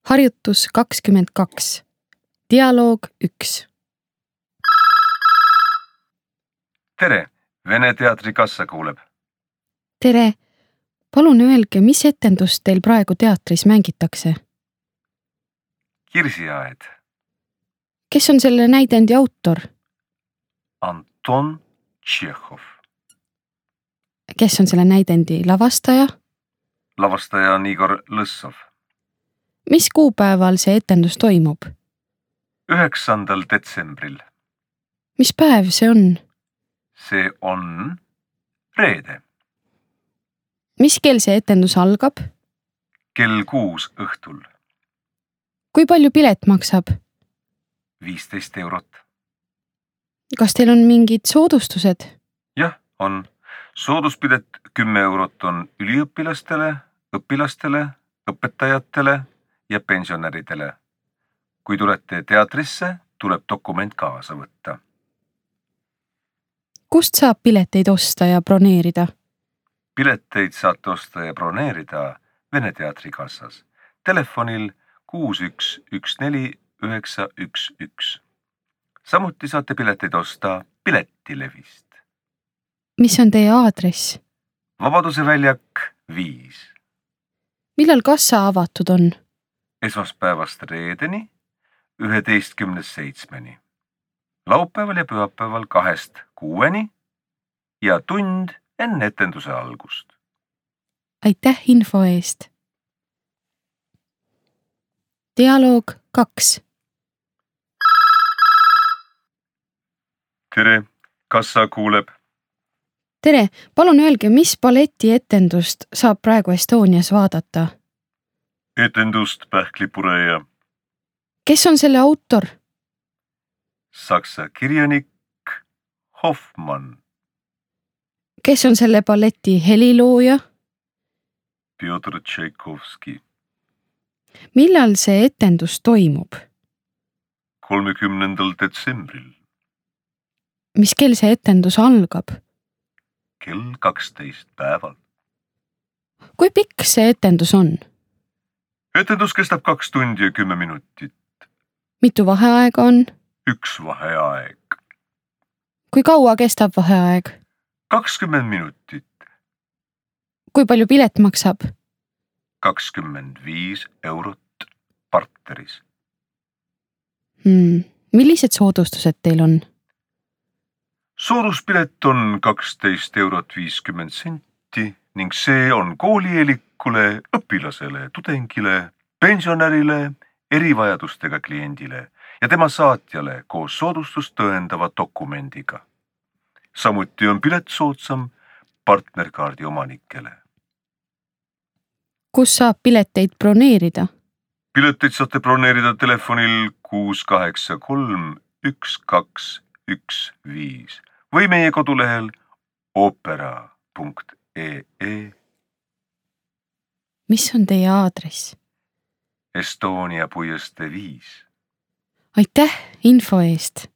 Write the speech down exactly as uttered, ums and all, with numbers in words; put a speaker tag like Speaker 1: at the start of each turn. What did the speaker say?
Speaker 1: Harjutus kakskümmend kaks. Dialoog üks.
Speaker 2: Tere, Vene teatri kassa kuuleb.
Speaker 1: Tere, palun öelge, mis etendust teil praegu teatris mängitakse?
Speaker 2: Kirsiaed.
Speaker 1: Kes on selle näidendi autor?
Speaker 2: Anton Tšehhov.
Speaker 1: Kes on selle näidendi lavastaja?
Speaker 2: Lavastaja on Igor Lõssov.
Speaker 1: Mis kuupäeval see etendus toimub?
Speaker 2: üheksandal detsembril.
Speaker 1: Mis päev see on?
Speaker 2: See on reede.
Speaker 1: Mis kell see etendus algab?
Speaker 2: Kell kuus õhtul.
Speaker 1: Kui palju pilet maksab?
Speaker 2: viisteist eurot.
Speaker 1: Kas teil on mingid soodustused?
Speaker 2: Jah, on. Sooduspilet kümme eurot on üliõpilastele, õpilastele, õpetajatele ja pensionäridele. Kui tulete teatrisse, tuleb dokument kaasa võtta.
Speaker 1: Kust saab pileteid osta ja broneerida?
Speaker 2: Pileteid saate osta ja broneerida Vene teatri kassas. Telefonil kuus üks üks neli üheksa üks üks. Samuti saate pileteid osta Piletilevist.
Speaker 1: Mis on teie aadress?
Speaker 2: Vabaduse väljak viis.
Speaker 1: Millal kassa avatud on?
Speaker 2: Esmaspäevast reedeni, üheteistkümnest seitsmeni. Laupäeval ja pühapäeval kahest kuueni ja tund enne etenduse algust.
Speaker 1: Aitäh info eest. Dialoog kaks.
Speaker 2: Tere, kassa kuuleb.
Speaker 1: Tere, palun öelge, mis balleti etendust saab praegu Estonias vaadata?
Speaker 2: Etendust Pähklipureja.
Speaker 1: Kes on selle autor?
Speaker 2: Saksa kirjanik Hoffmann.
Speaker 1: Kes on selle balleti helilooja?
Speaker 2: Pjotr Tšaikovski.
Speaker 1: Millal see etendus toimub?
Speaker 2: kolmekümnendal detsembril.
Speaker 1: Mis kell see etendus algab?
Speaker 2: Kell kaksteist päeval.
Speaker 1: Kui pikk see etendus on?
Speaker 2: Etendus kestab kaks tundi ja kümme minutit.
Speaker 1: Mitu vaheaega on?
Speaker 2: Üks vaheaeg.
Speaker 1: Kui kaua kestab vaheaeg?
Speaker 2: kakskümmend minutit.
Speaker 1: Kui palju pilet maksab?
Speaker 2: kakskümmend viis eurot partneris.
Speaker 1: Hmm. Millised soodustused teil on?
Speaker 2: Sooduspilet on kaksteist eurot viiskümmend senti ning see on koolieelikule, õpilasele, tudengile, pensionärile, erivajadustega kliendile ja tema saatjale koos soodustust tõendava dokumendiga. Samuti on pilet soodsam partnerkaardi omanikele.
Speaker 1: Kus saab pileteid broneerida?
Speaker 2: Pileteid saate broneerida telefonil kuus kaheksa kolm üks kaks üks viis või meie kodulehel opera punkt ee.
Speaker 1: Mis on teie aadress?
Speaker 2: Estonia puiestee viis.
Speaker 1: Aitäh info eest!